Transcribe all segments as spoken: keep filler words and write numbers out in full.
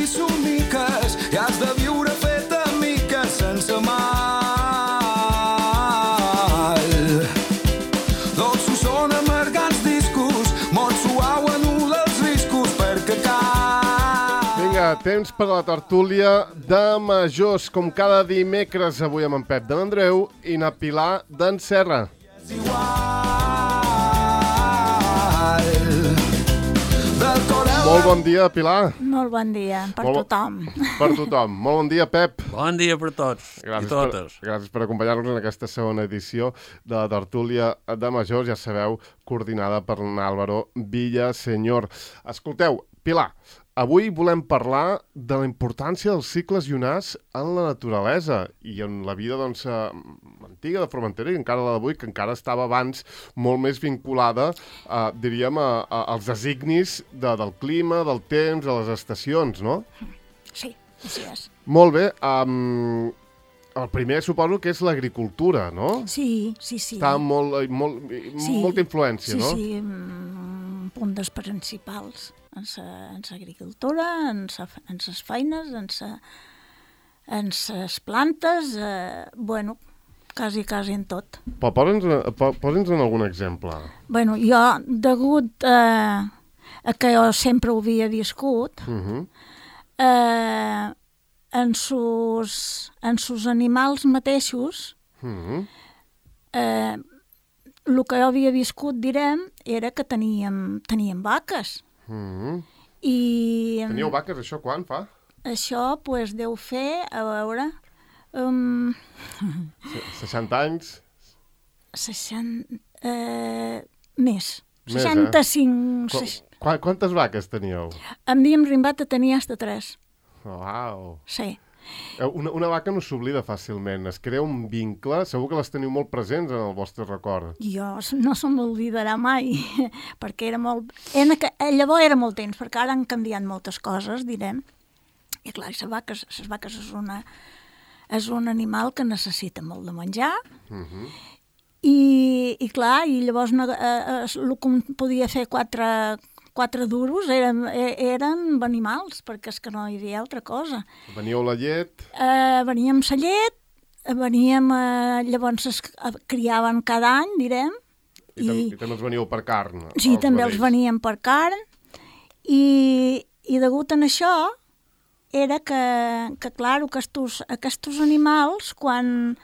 i somiques i has de viure fet a miques sense mal. Dolços són amargants discos, molt suau anuda els riscos perquè cal. Vinga, temps per la tertúlia de majors, com cada dimecres, avui amb en Pep de l'Andreu i na Pilar d'en Serra. És igual. Del cor al... Molt bon dia, Pilar. Molt bon dia, per Molt bo- tothom. Per tothom. Molt bon dia, Pep. Bon dia per tots Gràcies i totes. Per, gràcies per acompanyar-nos en aquesta segona edició de la tertúlia de majors, ja sabeu, coordinada per l'Àlvaro Villaseñor. Escolteu, Pilar, avui volem parlar de la importància dels cicles llunars en la naturalesa i en la vida doncs, eh, antiga de Formentera i encara la d'avui, que encara estava abans molt més vinculada, eh, diríem, a, a, als designis de, del clima, del temps, de les estacions, no? Sí, així és. Molt bé. Um, el primer suposo que és l'agricultura, no? Sí, sí, sí. Està molt, molt, Sí. molta influència, sí, no? Sí, sí, un punt dels principals en l'agricultura, en les feines, en les plantes, eh, bueno, quasi, quasi en tot. Però posa'ns po, posa'ns en algun exemple. Bueno, jo, degut eh, a que jo sempre ho havia viscut, Uh -huh. eh, en sus, en sus animals mateixos, Uh -huh. eh, el que jo havia viscut, direm, era que teníem, teníem vaques. Uh -huh. I Teníeu vaques, això quan fa? això pues, deu fer, a veure, um, seixanta anys? seixanta... Eh, més. Més, eh? seixanta-cinc... Qu Seix... qu Quantes vaques teníeu? Havíem rimbat a tenir hasta tres. Uau! Sí. Una, una vaca no s'oblida fàcilment, es crea un vincle, segur que les teniu molt presents en el vostre record. Jo no se m'oblidarà mai, perquè era molt... Era, llavors era molt temps, perquè ara han canviat moltes coses, direm. I clar, les vaques, les vaques és, una, és un animal que necessita molt de menjar, Uh -huh. i, i clar, i llavors no, eh, el que podia fer quatre, quatre duros eren, eren animals, perquè és que no hi havia altra cosa. Veníeu la llet... Eh, veníem la llet, veníem, eh, llavors es criaven cada any, direm. I, I, tam i també els veníeu per carn. Sí, també vedells. els veníem per carn, i, i degut a això era que, que clar, aquests, aquests animals, quan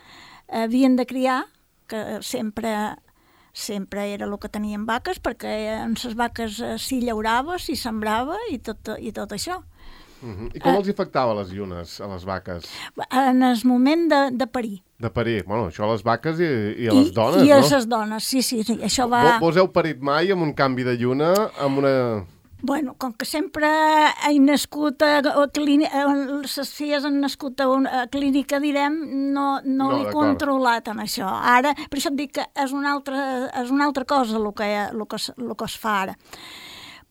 havien de criar, que sempre, sempre era el que tenien vaques, perquè en les vaques s'hi llaurava, s'hi sembrava i tot, i tot això. Uh -huh. I com uh, els afectava les llunes a les vaques? En el moment de, de parir. De parir. Bueno, això a les vaques i, i a les I, dones, I no? a les dones, sí, sí, sí. Això va... Vos heu parit mai amb un canvi de lluna, amb una... Bueno, com que sempre he nascut a, a clínica, les filles han nascut a una a clínica, direm, no, no, No, he d'acord. controlat en això. Ara, per això et dic que és una altra, és una altra cosa el que, el que, es- el que es fa ara.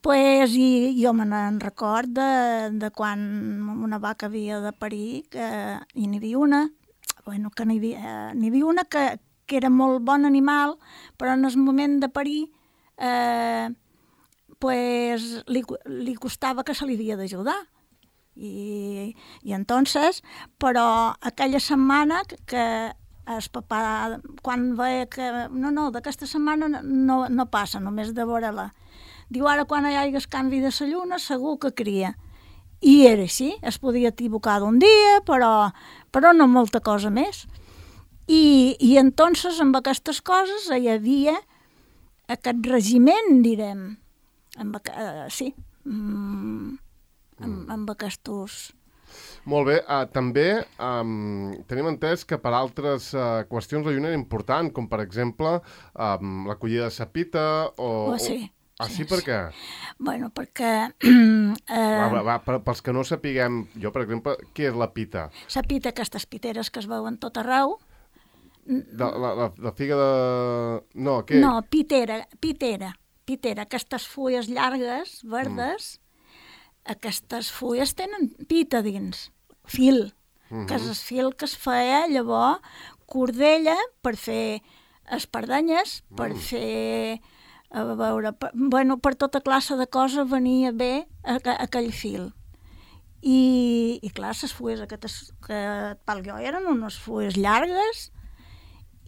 Pues, i jo me n'en record de, de quan una vaca havia de parir, que i n'hi havia una, bueno, que n'hi havia, n'hi havia una que, que era molt bon animal, però en el moment de parir eh, pues, li, li costava que se li havia d'ajudar. I, i entonces, però aquella setmana que, que el papà, quan veia que no, no, d'aquesta setmana no, no passa, només de veure-la. Diu, ara quan hi hagi canvi de la lluna segur que cria. I era així, es podia equivocar d'un dia, però, però no molta cosa més. I, i entonces amb aquestes coses hi havia aquest regiment, direm, amb, uh, sí, mm, amb, amb aquests... Molt bé, uh, també um, tenim entès que per altres uh, qüestions la lluna era important, com per exemple um, la collida de sapita o... Oh, sí. O... Ah, sí, Sí, per sí. què? Bueno, perquè... Eh, Va, va, va, per, pels que no sapiguem, jo, per exemple, què és la pita? la pita, aquestes piteres que es veuen tot arreu... De, la, la, la figa de... No, què? No, pitera, pitera, pitera, aquestes fulles llargues, verdes, mm. aquestes fulles tenen pita dins, fil, mm-hmm. que és el fil que es feia llavors cordella per fer espardenyes, per mm. fer... A veure, per, bueno, per tota classe de coses venia bé aqu aquell fil. i, i clar, les fulles aquestes que pel jo eren unes fulles llargues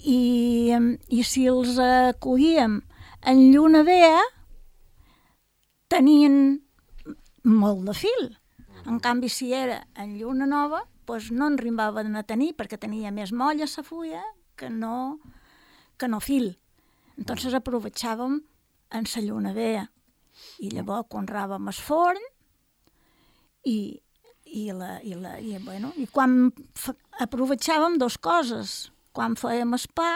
i, i si els eh, collíem en lluna vella tenien molt de fil. En canvi, si era en lluna nova, doncs no en rimbaven a tenir perquè tenia més molla la fulla que no, que no fil. Entonces aprovechàvem en la lluna vella. I llavors conràvem el forn i, i, la, i, la, i, bueno, i quan f- aprovechàvem dues coses. Quan fèiem el pa,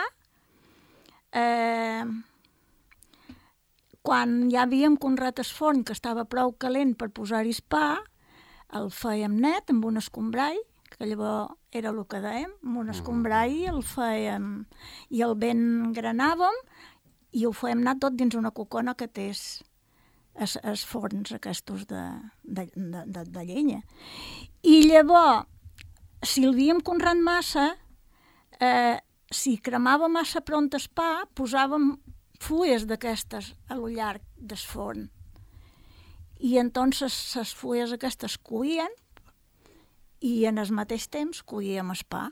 eh, quan ja havíem conrat el forn, que estava prou calent per posar-hi el pa, el fèiem net amb un escombrall, que llavors era el que dèiem, amb un escombrall el fèiem i el ben granàvem i ho fèiem anar tot dins una cocona que té els, els forns aquests de, de, de, de, de llenya. I llavors, si el havíem conrat massa, eh, si cremava massa pront el pa, posàvem fulles d'aquestes a lo llarg del forn. I entonces les fulles aquestes cuïen i en el mateix temps cuíem el pa.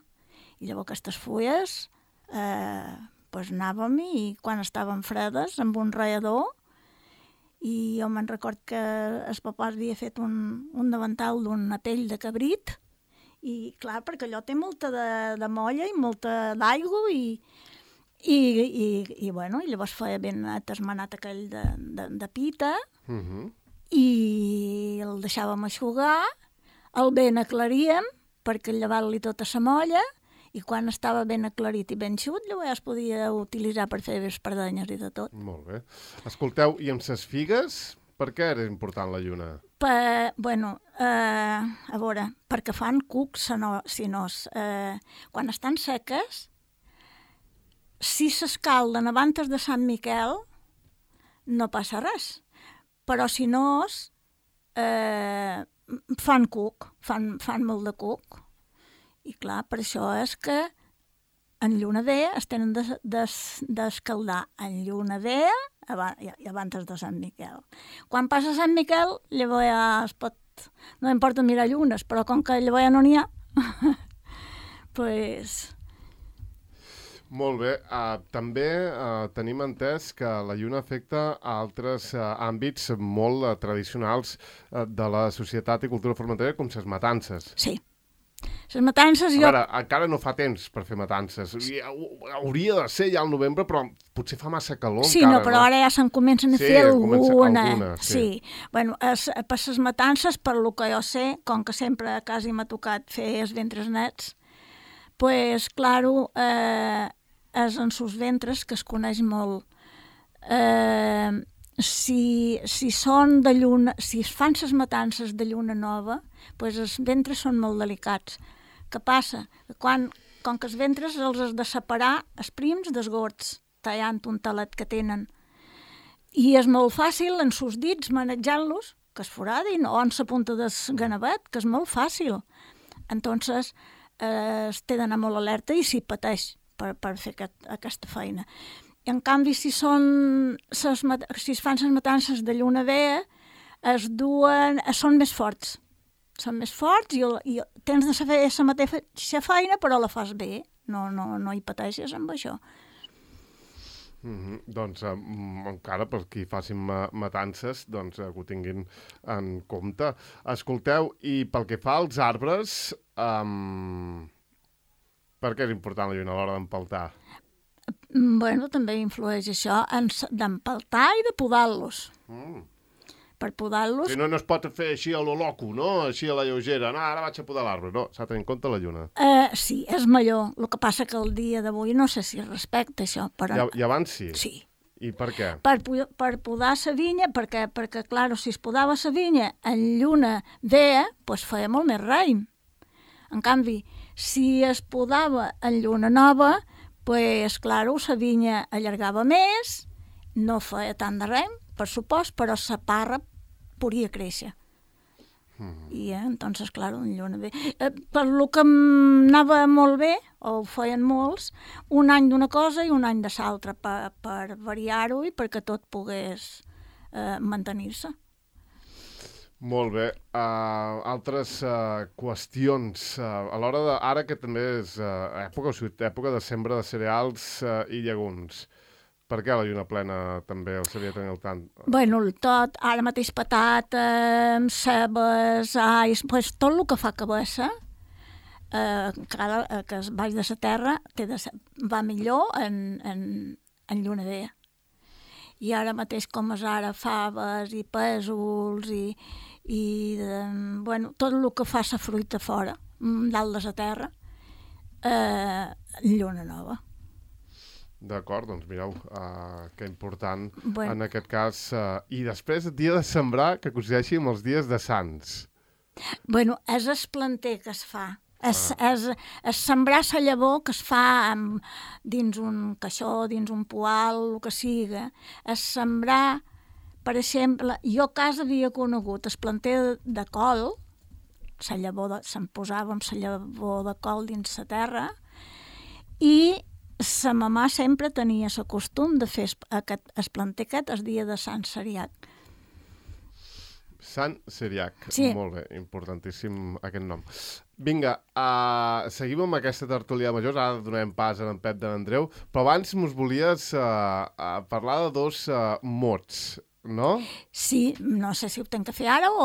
I llavors aquestes fulles eh, pues anàvem i quan estaven fredes amb un rallador i jo me'n record que el papà havia fet un, un davantal d'una pell de cabrit i clar, perquè allò té molta de, de molla i molta d'aigua i, i, i, i, bueno, i llavors feia ben atasmanat aquell de, de, de pita Uh-huh. i el deixàvem eixugar, el ben aclaríem perquè llevar-li tota la molla i quan estava ben aclarit i ben xut, llavors ja es podia utilitzar per fer espardenyes i de tot. Molt bé. Escolteu, i amb ses figues, per què era important la lluna? Per, bueno, eh, a veure, perquè fan cucs sinós. Eh, quan estan seques, si s'escalden abans de Sant Miquel, no passa res. Però si no, eh, fan cuc, fan, fan molt de cuc. I clar, per això és que en lluna vella es tenen d'escaldar de, en lluna vella i abans de Sant Miquel. Quan passa Sant Miquel, llavors ja es pot... No importa mirar llunes, però com que llavors ja no n'hi ha, pues... Molt bé. Uh, també uh, tenim entès que la lluna afecta a altres uh, àmbits molt uh, tradicionals uh, de la societat i cultura formentera, com les matances. Sí. Les matances... A jo... veure, encara no fa temps per fer matances. Hauria de ser ja al novembre, però potser fa massa calor sí, encara. No, però no? ara ja se'n comencen a sí, fer alguna. alguna sí. sí. Bueno, es, per les matances, per lo que jo sé, com que sempre quasi m'ha tocat fer els ventres nets, pues, claro, eh, és en sus ventres que es coneix molt. Eh, si, si són de lluna, si es fan les matances de lluna nova, pues els ventres són molt delicats. Què passa? Quan, com que els ventres els has de separar els prims dels gords, tallant un talet que tenen. I és molt fàcil en sus dits manejar-los, que es foradin, o en la punta del ganavet, que és molt fàcil. Entonces, eh, es té d'anar molt alerta i s'hi pateix per, per fer aquest, aquesta feina. I en canvi, si, són ses, si es fan les matances de lluna vella, es duen, són més forts. Són més forts i, i tens de saber la mateixa feina, però la fas bé. No, no, no hi pateixes amb això. Mm-hmm. Doncs um, encara per qui facin ma matances, doncs uh, que ho tinguin en compte. Escolteu, i pel que fa als arbres, um, per què és important la lluna a l'hora d'empaltar? Bueno, també influeix això d'empaltar i de podar-los. Mm. Per podar-los... Si no, no es pot fer així a lo loco, no? Així a la lleugera. No, ara vaig a podar l'arbre. No, s'ha de tenir en compte la lluna. Eh, sí, és millor. El que passa que el dia d'avui no sé si es respecta això, però... I, i abans sí? Sí. I per què? Per, per podar la vinya, perquè, perquè clar, si es podava la vinya en lluna vella, doncs feia molt més raïm. En canvi, si es podava en lluna nova, pues, claro, la vinya allargava més, no feia tant de raïm, per supost, però la parra podia créixer. Mm. I, eh, entonces, claro, en lluna bé. Eh, per lo que anava molt bé, o ho feien molts, un any d'una cosa i un any de l'altra, per, per variar-ho i perquè tot pogués eh, mantenir-se. Molt bé. Uh, altres uh, qüestions. Uh, a l'hora de... Ara que també és uh, època, o sigui, època de sembra de cereals uh, i llegums. Per què la lluna plena també el sabia tenir el tant? Bueno, el tot, ara mateix patates, cebes, ais, pues, tot el que fa cabassa, eh, cada, eh, que es baix de la terra, té de ser, va millor en, en, en lluna vella. I ara mateix com és ara faves i pèsols i, i de, bueno, tot el que fa la fruita fora, dalt de la terra, eh, lluna nova. D'acord, doncs mireu, uh, que important Bueno. en aquest cas. Uh, I després, el dia de sembrar, que coincideixi amb els dies de Sants. Bueno, és el planter que es fa. És, ah. és, és sembrar la llavor que es fa amb, dins un caixó, dins un poal, el que siga. És sembrar, per exemple, jo a casa havia conegut el planter de, de col, la llavor de, se'n posava amb la llavor de col dins la terra, i sa mamà sempre tenia el costum de fer aquest, el planter aquest el dia de Sant Ceriac. Sant Ceriac, sí. Molt bé, importantíssim aquest nom. Vinga, uh, seguim amb aquesta tertúlia de majors, ara donem pas a en Pep de l'Andreu, però abans mos volies uh, uh, parlar de dos uh, mots, no? Sí, no sé si ho tenc que fer ara o...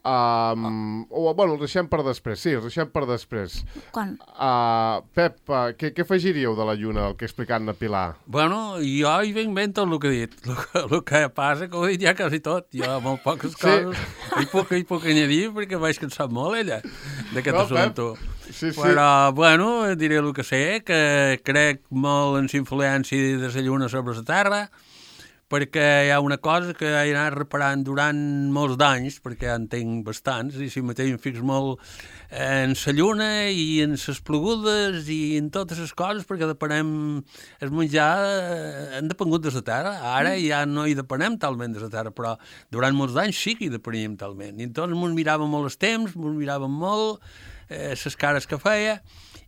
Um, o, bueno, els deixem per després, sí, els deixem per després. Quan? Uh, Pep, uh, què, què afegiríeu de la lluna, el que ha explicat na Pilar? Bueno, jo hi venc ben tot el que he dit. El que, el que passa que ho he dit ja quasi tot. Jo molt poques coses sí. hi, puc, hi puc añadir perquè vaig cansar molt, ella, d'aquest no, assumpte. Sí, sí. Però, bueno, diré el que sé, que crec molt en la influència de la lluna sobre la terra, perquè hi ha una cosa que he anat reparant durant molts d'anys, perquè ja en tinc bastants, i si mateix em fix molt en la lluna i en les plogudes i en totes les coses, perquè depenem el menjar, hem depengut de la terra. Ara ja no hi depenem talment de la terra, però durant molts d'anys sí que hi depeníem talment. I entonces ens miràvem molt els temps, ens miràvem molt eh, les cares que feia,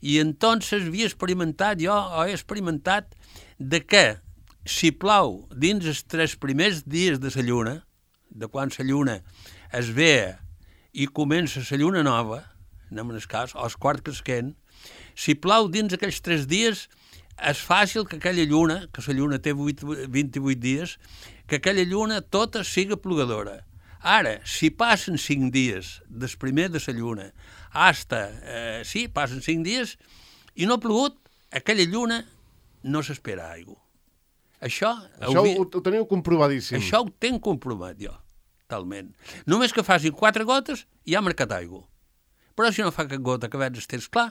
i entonces havia experimentat, jo he experimentat de què si plou dins els tres primers dies de la lluna, de quan la lluna es ve i comença la lluna nova, anem en el cas, o el quart cresquent, si plou dins aquells tres dies, és fàcil que aquella lluna, que la lluna té vint-i-vuit dies, que aquella lluna tota siga plogadora. Ara, si passen cinc dies des primer de la lluna, hasta, eh, sí, passen cinc dies, i no ha plogut, aquella lluna no s'espera aigua. Això, això ho, ho teniu comprovadíssim. Això ho tenc comprovat jo, talment. Només que facin quatre gotes ja ha marcat aigua. Però si no fa cap gota que veig estès clar,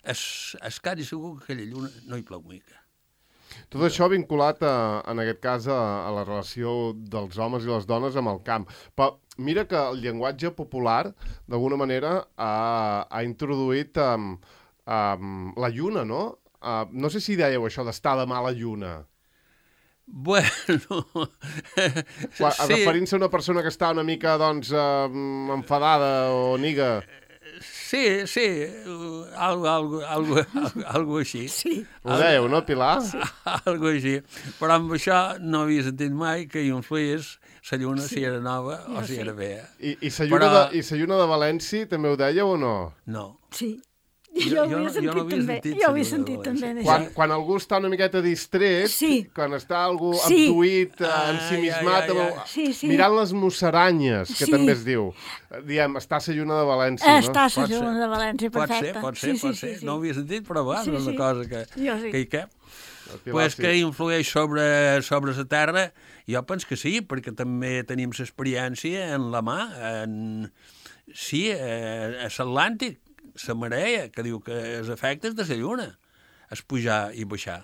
es, es quasi segur que aquella lluna no hi plou mica. Tot això vinculat, a, en aquest cas, a, a la relació dels homes i les dones amb el camp. Però mira que el llenguatge popular, d'alguna manera, ha, ha introduït um, um, la lluna, no? Uh, no sé si dèieu això d'estar de mala lluna. Bueno... Quan, sí. Referint-se a una persona que està una mica, doncs, uh, enfadada o niga... Sí, sí, algo, algo, algo, algo així. Sí. Ho dèieu, no, Pilar? Sí. Algo així. Però amb això no havia sentit mai que hi influís la lluna sí. si era nova o si sí. era vella. I, i la lluna, Però... de, i la lluna de València també ho dèieu o no? No. Sí. Jo, jo, jo ho havia sentit, jo no havia també. Sentit, jo ho havia sentit també. Quan, quan algú està una miqueta distret, sí. quan està algú sí. abduït, ah, ensimismat, ja, ja, ja. Sí, sí. mirant les musaranyes, que sí. també es diu, diem, està la lluna de València, no? Està la lluna de València, perfecte. Pot ser, pot ser, sí, pot sí, ser. Sí, sí. No ho havia sentit, però va, sí, és una sí. cosa que, sí. que hi cap. Pues sí. que influeix sobre, sobre la terra, jo penso que sí, perquè també tenim l'experiència en la mà, en, sí, a l'Atlàntic, la marea, que diu que els efectes de la lluna és pujar i baixar.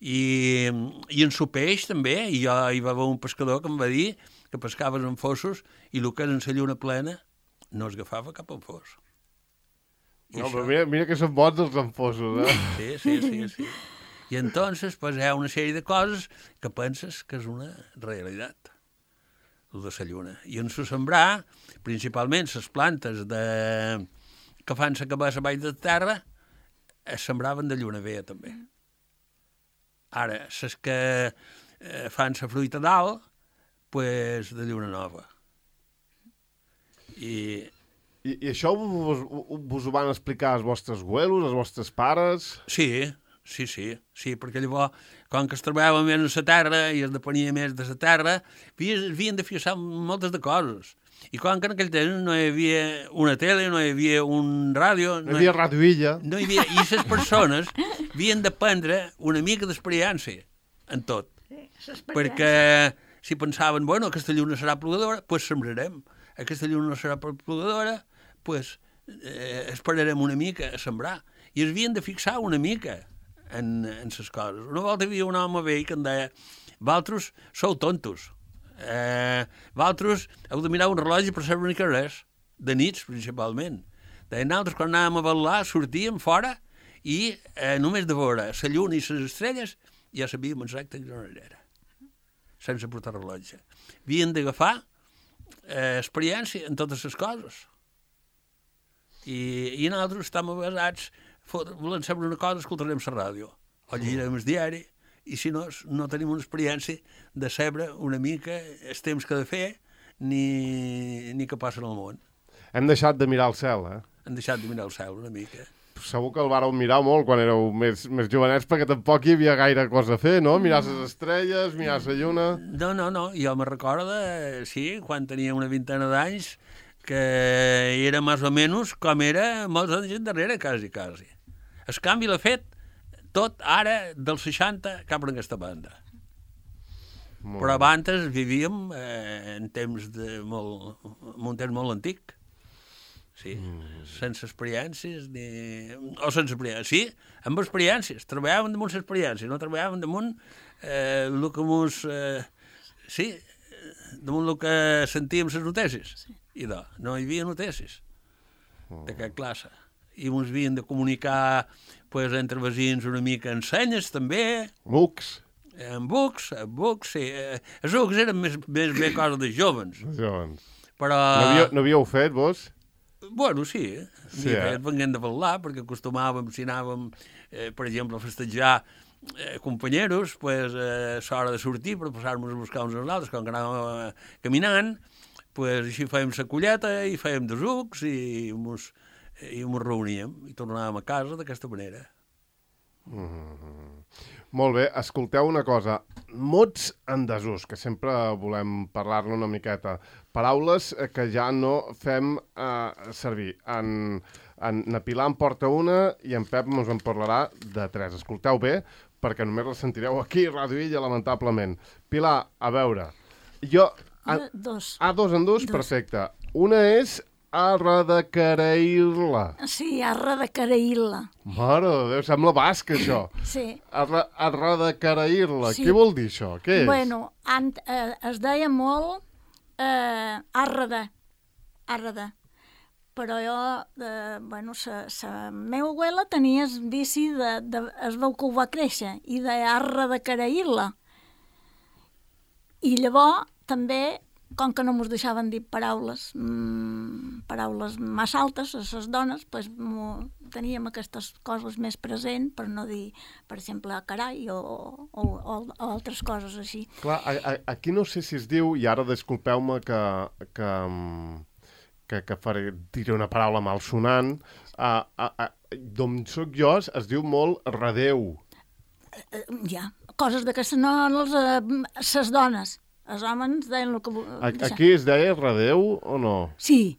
I, i en el peix també, i jo hi va haver un pescador que em va dir que pescaves en fossos i el que és en la lluna plena no es agafava cap en fos. I no, això... però mira, mira que són bons els enfosos, eh? Sí, sí, sí, sí. I entonces pues, hi ha una sèrie de coses que penses que és una realitat, el de la lluna. I en el sembrar, principalment les plantes de... que fan la cabassa baix de terra, es sembraven de lluna vella, també. Ara, les que eh, fan la fruita dalt, pues, de lluna nova. I... I, i això vos, vos ho van explicar els vostres abuelos, els vostres pares? Sí, sí, sí, sí, perquè llavors, com que es treballava més a la terra i es depenia més de la terra, havien de fixar moltes de coses. I com que en aquell temps no hi havia una tele, no hi havia un ràdio... No hi havia Ràdio Illa. No hi havia... I les persones havien d'aprendre una mica d'experiència en tot. Sí, perquè si pensaven, bueno, aquesta lluna serà plogadora, doncs pues sembrarem. Aquesta lluna no serà plogadora, doncs pues, eh, esperarem una mica a sembrar. I es havien de fixar una mica en, en les coses. Una volta hi havia un home vell que em deia, vosaltres sou tontos. Eh, vosaltres heu de mirar un rellotge per saber una res, de nits principalment. Deia, nosaltres quan anàvem a ballar sortíem fora i eh, només de veure la lluna i les estrelles ja sabíem exacte que no era, sense portar rellotge. Havien d'agafar eh, experiència en totes les coses. I, i nosaltres estem basats, volem saber una cosa, escoltarem la ràdio, o llegirem el diari, i si no, no tenim una experiència de saber una mica els temps que ha de fer ni, ni què passa en el món. Hem deixat de mirar el cel, eh? Hem deixat de mirar el cel una mica. Segur que el vàreu mirar molt quan éreu més, més jovenets, perquè tampoc hi havia gaire cosa a fer, no? Mirar les estrelles, mirar la lluna... No, no, no, jo me recordo, sí, quan tenia una vintena d'anys, que era més o menys com era molts anys endarrere, quasi, quasi. El canvi l'ha fet tot ara dels seixanta cap a aquesta banda. Molt Però abans vivíem eh, en temps de molt, en un temps molt antic. Sí, mm. sense experiències ni... o sense experiències, sí, amb experiències, treballàvem damunt les experiències, no treballàvem damunt eh, el que mos... Eh, sí, damunt el que sentíem les notícies. Sí. I no, no hi havia notícies oh. de cap classe. I ens havien de comunicar pues, entre veïns una mica en senyes, també. Bucs. En bucs, en bucs, sí. Els bucs eren més, més bé cosa de jovens. Jovens. Però... No havíeu, no havíeu fet, vos? Bueno, sí. Sí, eh? Venguem de parlar, perquè acostumàvem, si anàvem, eh, per exemple, a festejar eh, companyeros, pues, eh, l'hora de sortir per passar-nos a buscar uns als altres, quan anàvem eh, caminant, pues, així fèiem la colleta i fèiem de sucs i mos, i mos reuníem i tornàvem a casa d'aquesta manera. Mm-hmm. Molt bé, escolteu una cosa. Mots en desús, que sempre volem parlar-ne una miqueta. Paraules que ja no fem eh, servir. En, en, en Pilar en porta una i en Pep ens en parlarà de tres. Escolteu bé, perquè només la sentireu aquí a Ràdio Illa, lamentablement. Pilar, a veure, jo... A, dos. Ah, dos en dos? Dos. Perfecte. Una és arra de Caraïlla. Sí, arra de Caraïlla. Mare de Déu, sembla basc, això. Sí. Arra, arra de Caraïlla. Sí. Què vol dir això? Què és? Bueno, an, eh, es deia molt eh, arra de, arra de. Però jo, eh, bueno, la meva abuela tenia el vici de, de, es veu que ho va créixer, i de arra de Caraïlla. I llavors, també, com que no ens deixaven dir paraules, mmm, paraules massa altes a les dones, pues, teníem aquestes coses més presents per no dir, per exemple, carai o, o, o, o altres coses així. Clar, a, a, aquí no sé si es diu, i ara disculpeu-me que, que, que, que faré, diré una paraula malsonant, uh, uh, uh, d'on soc jo es diu molt redeu. Uh, ja, coses d'aquestes no les, uh, les dones. Els homes deien el que... Aquí es deia redeu o no? Sí.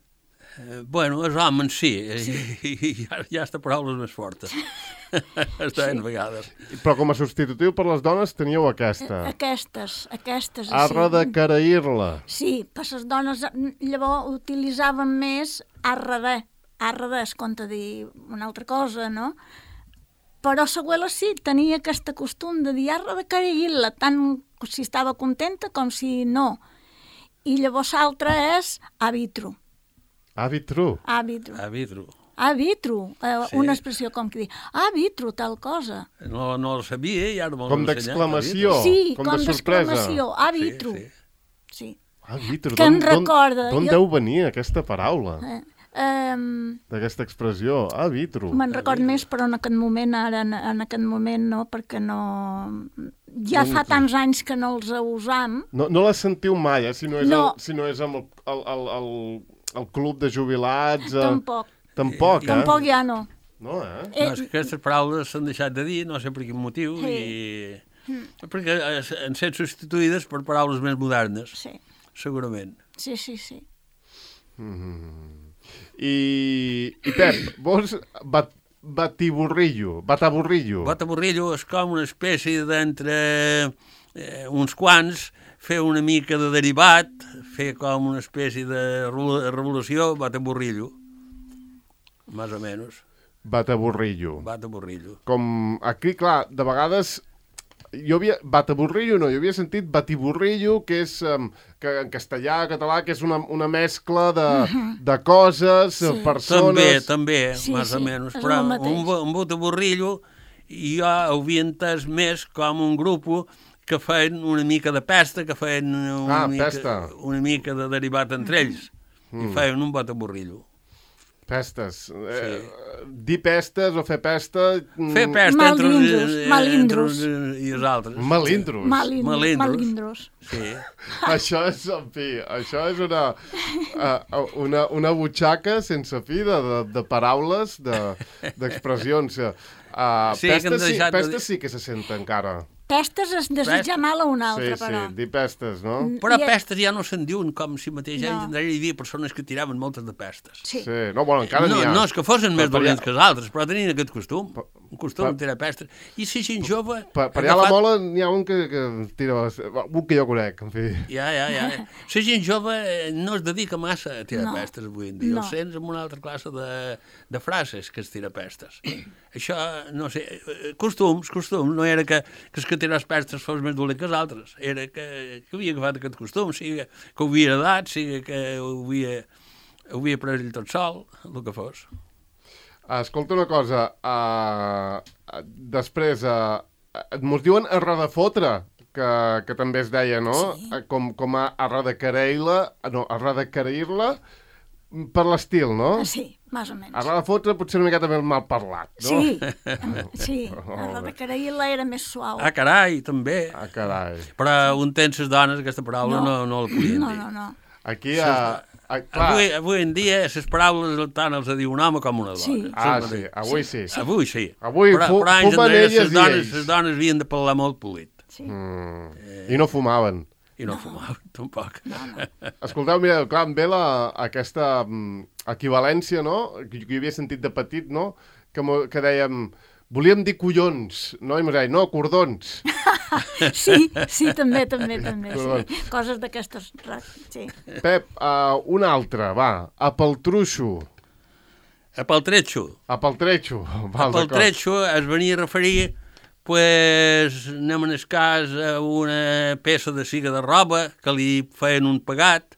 Eh, bueno, els homes sí, sí. I, i ja, ja està paraules més fortes. Es deien sí. vegades. Però com a substitutiu per les dones teníeu aquesta. Aquestes, aquestes. Arra de Caraïlla. Sí, per les dones llavors utilitzaven més arra de. Arra de es compta dir una altra cosa, no? Però l'abuela sí, tenia aquest costum de dir arra de Caraïlla, tant si estava contenta com si no. I llavors l'altre és àvitro. Àvitro? Àvitro. Àvitro. Àvitro, eh, Sí. una expressió com que dir àvitro, tal cosa. No, no el sabia i ara m'ho Com han ensenyat, d'exclamació. àvitro. Sí, com com de sorpresa. d'exclamació, àvitro. Sí, sí. Sí. Àvitro, Que em d'on- recorda, D'on jo- deu venir aquesta paraula? Eh, um, D'aquesta expressió, àvitro. Me'n record més, però en aquest moment, ara, en, en aquest moment no, perquè no... Ja fa tants anys que no els usam. No, no la sentiu mai, eh? Si no és, No. el, si no és amb el, el, el, el, el club de jubilats... Eh... Tampoc. Tampoc, eh? Tampoc ja no. No, eh? Eh, No, és que aquestes paraules s'han deixat de dir, no sé per quin motiu, Sí. i... perquè eh, han estat substituïdes per paraules més modernes, Sí, segurament. sí, sí, sí. I, i Pep, vos bat, batiburrillo, bataburrillo. Bataborrillo és com una espècie d'entre eh, uns quants, fer una mica de derivat, fer com una espècie de revol- revolució, bataborrillo, més o menys, Bataburrillo. bataborrillo. Com aquí, clar, de vegades jo havia... Bataburrillo no, jo havia sentit batiburrillo, que és um, que en castellà, català, que és una, una mescla de, de coses, sí. També, persones... també, Sí, més o sí, menys, és però el mateix. un, bo- un bataborrillo jo ho havia entès més com un grup que feien una mica de pesta, que feien una, Ah, mica, pesta. una mica de derivat entre ells, i feien un bataborrillo. Pestes. Eh, dir pestes o fer pesta... mm, Fer pesta entre uns, Malindros, eh, malindros. entre uns i els altres. Malindros. Malin, Malindros. malindros. Sí. Això és, en fi, això és una, uh, una, una butxaca sense fi de, de, de paraules, de- d'expressions. De, uh, Sí, que han pestes, sí, deixat de pestes dir- sí que se sent encara. Pestes es desitja mal a un altre, Sí, però. sí, dir pestes, no? Però I- pestes ja no se'n diuen com si mateix No. no. hi havia persones que tiraven moltes de pestes. Sí. Sí, no, bueno, encara no, n'hi ha. no és que fossin més per dolents allà- que els altres, però tenien aquest costum, un costum per- de tirar pestes. I si gent jove... Per, per ha allà a la agafat- mola n'hi ha un que, que tira... Un que jo conec, en fi. Ja, ja, ja. La gent jove eh, no es dedica massa a tirar No. pestes avui en dia. No. Els sents amb una altra classe de, de frases que es tira pestes. Això, no sé, eh, costums, costums. No era que, que els que tirar pestes fos més dolent que els altres. Era que, que havia agafat aquest costum, sigui que ho havia heredat, sigui que ho havia, ho havia pres ell tot sol, el que fos. Escolta una cosa, uh, després, uh, mos diuen arra de fotre, que, que també es deia, no? Sí. Eh, Com, com a arra de careir-la, no, arra de careir-la per l'estil, no? Sí, més o menys. Arra de fotre potser una miqueta més mal parlat, no? Sí, sí. La de Caraïla era més suau. Ah, carai, també. Ah, carai. Però un temps les dones, aquesta paraula, no, no, la podien No, dir. no, no. Aquí, a, a, clar... Avui, avui en dia, les paraules tant els diu un home com una dona. Sí. Ah, Sempre sí, dic. avui sí. Avui sí. Avui però, fu- però anys fumen enrere elles les i dones, ells. les dones havien de parlar molt polit. Sí. Mm. I no fumaven. I no, no. fumaven, tampoc. No, no. Escolteu, mireu, clar, em ve la, aquesta mm, equivalència, no?, que jo havia sentit de petit, no?, que, mo, que dèiem, volíem dir collons, no? I mos deia, no, cordons. Sí, sí, també, també, també. Perdó. Sí. Coses d'aquestes... Sí. Pep, uh, una altra, va, apeltruixo, Apeltretxo. apeltretxo. Val, Apeltretxo es venia a referir, pues, anem en el cas a una peça de siga de roba que li feien un pagat,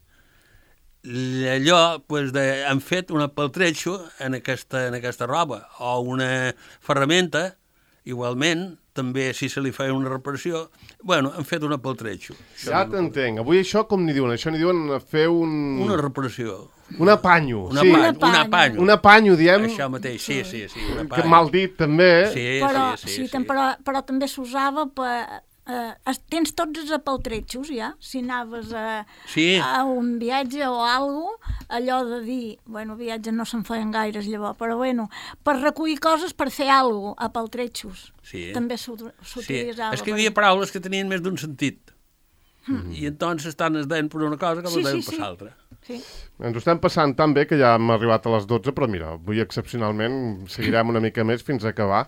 allò, pues, de, han fet un apeltretxo en aquesta, en aquesta roba, o una ferramenta, igualment, també si se li feia una reparació, bueno, han fet un apeltretxo. Ja t'entenc. Avui això com n'hi diuen? Això n'hi diuen fer un... Una reparació. Un apanyo. Un sí. apanyo. Un apanyo. apanyo. Un apanyo, diem, Això mateix, sí, sí, sí. Un que apanyo. mal dit, també. Sí, Però, sí, sí. sí, sí. Però, però també s'usava per... Eh, es- tens tots els apeltretxos, ja? Si anaves a, Sí. a un viatge o algo, allò de dir... Bueno, viatges no se'n feien gaires llavors, però bueno, per recollir coses per fer algo, apeltretxos. Sí. També s'ut- Sí, s'utilitzava. és que hi per- havia paraules que tenien més d'un sentit. Mm. I entonces estan es deien per una cosa que Sí, les deien sí, per sí. l'altra. Sí. Ens ho estem passant tan bé que ja hem arribat a les dotze, però mira, avui excepcionalment seguirem una mica més fins a acabar,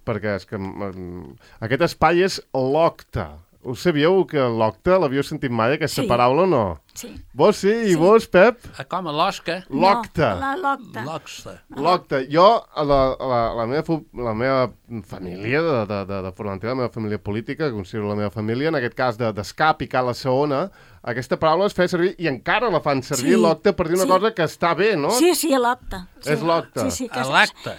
perquè és que mm, aquest espai és l'octa. Ho sabíeu que l'octa, l'havíeu sentit mai, aquesta Sí. paraula o no? Sí. Vos sí, i Sí. vos, Pep? Ah, com a l'osca, L'octa. No, la l'octa. l'oxa. L'octa. Jo, a la, a la, a la, meva, fu- la meva família de, de, de, de Formentera, la meva família política, que considero la meva família, en aquest cas de d'escar, picar la saona, aquesta paraula es feia servir, i encara la fan servir, Sí, l'octa, per dir una sí. cosa que està bé, no? Sí, sí, a l'octa. Sí, És l'octa. Sí, sí, que A és- l'acte.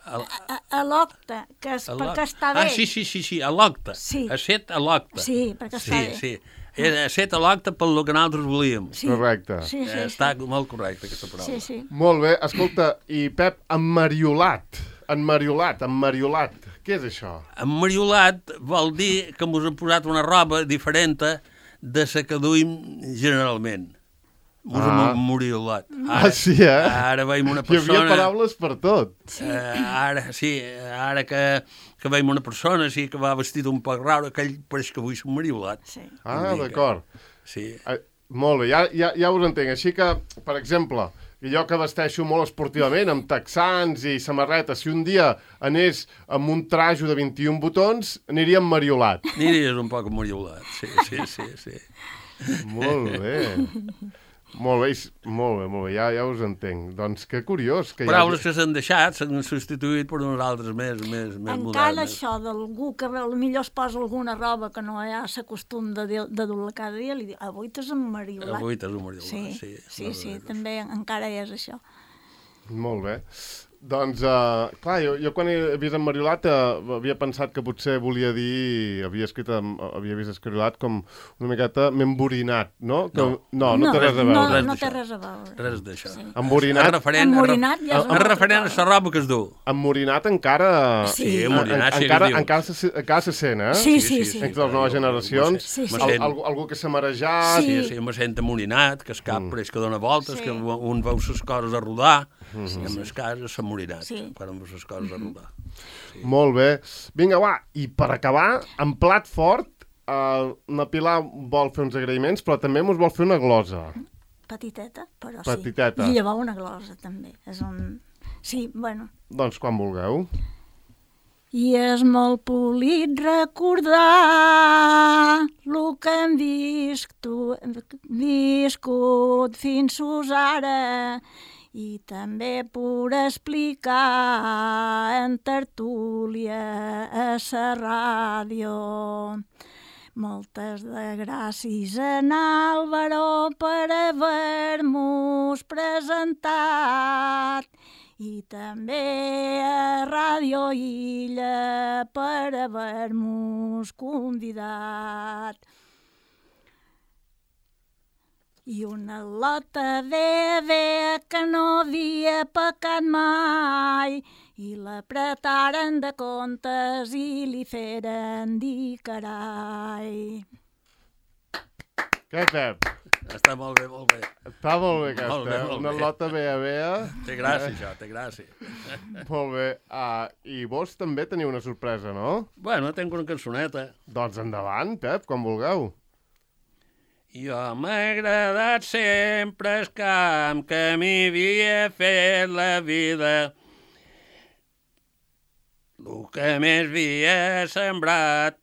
A, A, a l'octa, que és a perquè l'octa. està bé. Ah, sí, sí, sí, sí, a l'octa. Sí. A set a l'octa. Sí, perquè sí, està bé. Sí, Era a set a l'octa pel que nosaltres volíem. Sí. Correcte. Sí, sí, Eh, sí. Està molt correcta, aquesta paraula. Sí, sí. Molt bé. Escolta, i Pep, emmariolat. Enmariolat, emmariolat. Què és això? Emmariolat vol dir que ens han posat una roba diferent de la que duim generalment. Mos Ah. hem moriolat. Ah, sí, eh? Ara veiem una Hi persona... havia paraules per tot. Eh, ara, sí, ara que, que veiem una persona sí, que va vestit un poc raro, aquell pareix que avui s'ha mariolat. Sí. Ah, Una mica. d'acord. Sí. Ah, molt bé, ja, ja, ja us entenc. Així que, per exemple, jo que vesteixo molt esportivament, amb texans i samarretes, si un dia anés amb un trajo de vint-i-un botons, aniria mariolat. Aniries un poc mariolat, sí, sí, sí, sí. Molt bé. Molt bé, i- molt bé, molt bé, ja, ja us entenc. Doncs que curiós que Paraules hi que s'han deixat s'han substituït per unes altres més, més, més Encara modernes. això d'algú que potser es posa alguna roba que no hi ha l'acostum de, dir- de dur-la cada dia, li diu, avui t'has emmariolat. Avui t'has mariolat, Sí, sí. sí, no, sí, no, no. també encara és això. Molt bé. Doncs, uh, clar, jo, jo quan he vist en Mariolat uh, havia pensat que potser volia dir, havia escrit, amb, havia vist escrilat com una miqueta m'emborinat, no? Que, No. no, no, té res a veure. No, res no d'això. té res a veure. Res d'això. Sí. Emborinat, És referent, Emmorinat ja és és, una és altra referent a cosa. la roba que es du. emmorinat encara... Sí. Sí, emmorinat, sí que encara, es diu. encara, se, encara se sent, eh? Sí, sí, sí. Entre les noves generacions, Sí, sí. al, algú, algú que s'ha marejat... Sí, Sí. sí, me sent amorinat, que es cap mm. pareix que dona voltes, Sí. que un veu les coses a rodar, mm -hmm. i en el cas s'ha amorinat, Sí. quan veus les coses a rodar. Molt bé. Vinga, va, i per acabar, en plat fort, uh, la Pilar vol fer uns agraïments, però també mos vol fer una glosa. Petiteta, però Petiteta. sí. I llevar una glosa, també. És un... Sí, bueno. Doncs quan vulgueu. I és molt polit recordar el que hem viscut, viscut fins ara i també per explicar en tertúlia a la ràdio. Moltes de gràcies en Álvaro per haver-nos presentat i també a Ràdio Illa per haver-nos convidat. I una lota de bé que no havia pecat mai i l'apretaren de comptes i li feren dir carai. Què, Pep? Està molt bé, molt bé. Està molt bé aquesta, Molt bé, eh? molt Una bé. lota bea bea. Té gràcia, això, té gràcia. Molt bé. Uh, I vos també teniu una sorpresa, no? Bueno, tinc una cançoneta. Doncs endavant, Pep, quan vulgueu. Jo m'ha agradat sempre el camp que m'havia fet la vida. El que més havia sembrat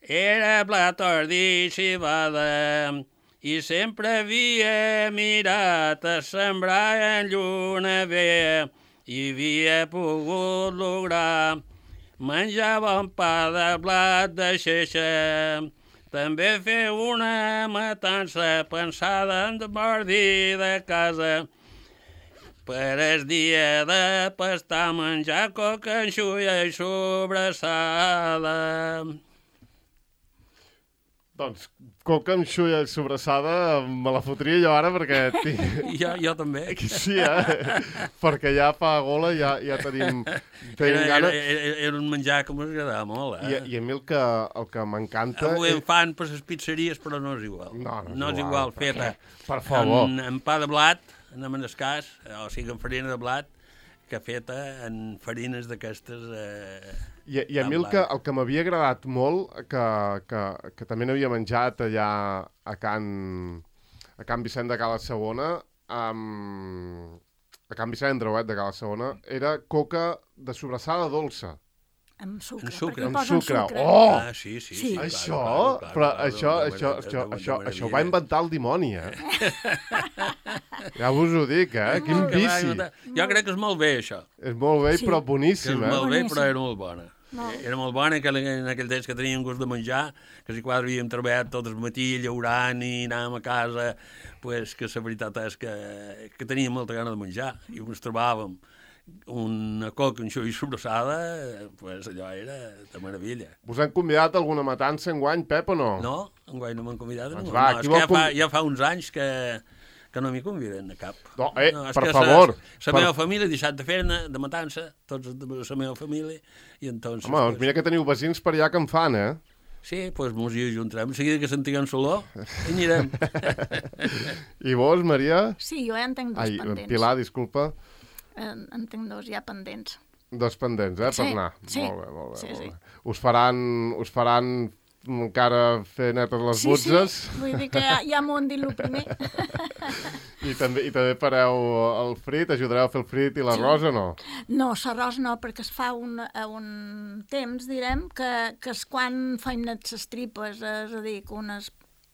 era blat, ordi i civada i sempre havia mirat a sembrar en lluna vea i havia pogut lograr menjar bon pa de blat de xeixa. També fer una matança pensada en mordir de casa. Per el dia de pastar menjar coca, enxulla i sobrassada. Doncs coca amb xulla i sobrassada me la fotria jo ara perquè... Tinc... Jo, jo també. Sí, eh? Perquè ja fa gola, ja, ja tenim, tenim Era, gana. era, era, era un menjar que m'agradava molt, I, eh? I a mi el que, el que m'encanta... Avui en fan per les pizzeries, però no és igual. No, no és no és igual, igual, feta. Per favor. En, en pa de blat, anem en escàs, o sigui, en farina de blat, que feta en farines d'aquestes... Eh, I, I a mi el que, el que m'havia agradat molt, que, que, que també n'havia menjat allà a Can, a Can Vicent de Cala Segona, um, a Can Vicent Andreuet de Cala Segona, era coca de sobrassada dolça. Amb sucre. Amb sucre. perquè Amb posen sucre. sucre. Oh! Ah, sí, sí. Sí. sí clar, Això, clar, clar, però clar, això, de- de- això, de- això, de- això, de això ho va meravella. inventar el dimoni, eh? Ja vos ho dic, eh? Quin Que va vici. inventar- Jo crec que és molt bé, això. És molt bé, Sí. però Que és boníssim, eh? molt bé, Boníssim. però era molt bona. Molt. Era molt bona, que en aquell temps que teníem gust de menjar, que si quasi havíem treballat tot el matí llaurant i anàvem a casa, pues, que la veritat és que, que teníem molta gana de menjar i ens trobàvem una coca, un xou i sobrassada, pues allò era de meravella. Us han convidat a alguna matança enguany, Pep, o no? No, enguany no m'han convidat. Doncs No, va, no, qui és vol que ja fa, conv- ja fa uns anys que, que no m'hi conviden a cap. No, eh, és per que favor. La Per- meva família ha deixat de fer-ne de matança, tots de la meva família, i entonces... Home, doncs mira que teniu vecins per allà que en fan, eh? Sí, doncs pues mos hi ajuntarem. De seguida que sentiguem l'olor, hi anirem. I vos, Maria? Sí, jo ja en tinc dos Ai, pendents. Pilar, disculpa. En, en tinc dos ja pendents. Dos pendents, eh, per Sí, anar. sí. Molt bé, molt bé. Sí, molt sí. bé. Us faran, us faran encara fer netes les Sí, butzes? sí, vull dir que ja, ja m'ho han dit el primer. I també, I també fareu el frit? Ajudareu a fer el frit i l'arròs o no? No, l'arròs no, perquè es fa un, a un temps, direm, que, que és quan faim net les tripes, és a dir, que unes,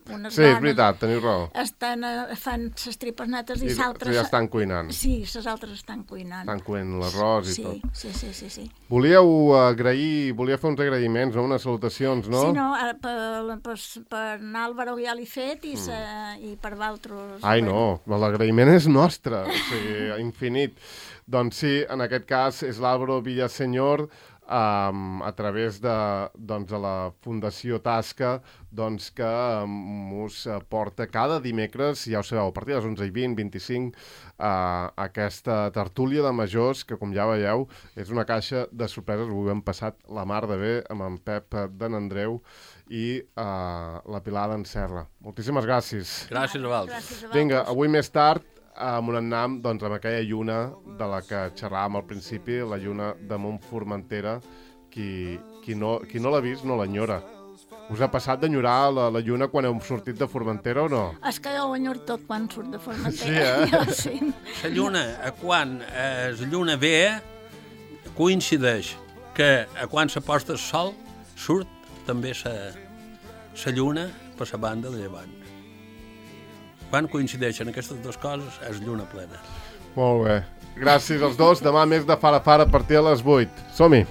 unes Sí, és dones veritat, teniu raó. estan, eh, fan les tripes netes i I les altres... ja estan cuinant. Sí, les altres estan cuinant. Estan cuint l'arròs i sí, tot. Sí, sí, sí, sí. Volíeu agrair, volia fer uns agraïments, no? Unes salutacions, no? Sí, no, ara per, per, per Álvaro ja l'he fet i, se, i per Valtros... Ai, no, l'agraïment és nostre, o sigui, infinit. Doncs sí, en aquest cas és l'Álvaro Villaseñor, Um, a través de, doncs, de la Fundació Tasca, doncs, que um, us porta cada dimecres, ja ho sabeu, a partir de les onze i vint, vint-i-cinc, uh, aquesta tertúlia de majors, que com ja veieu, és una caixa de sorpreses. Ho hem passat la mar de bé amb en Pep d'en Andreu i uh, la Pilar d'en Serra. Moltíssimes gràcies. Gràcies a vosaltres. Gràcies a vosaltres. Vinga, avui més tard, amb un annam, doncs, amb aquella lluna de la que xerràvem al principi, la lluna de Montformentera, qui, qui no, qui no l'ha vist no l'enyora. Us ha passat d'enyorar la, la lluna quan heu sortit de Formentera o no? És que jo ho enyor tot quan surt de Formentera. Sí, eh? Jo, sí. La lluna, a quan eh, la lluna ve, coincideix que a quan se posta el sol, surt també la lluna per la banda de llevant. Quan coincideixen aquestes dues coses, és lluna plena. Molt bé. Gràcies als dos. Demà més de Fara Fara a partir de les vuit. Som-hi!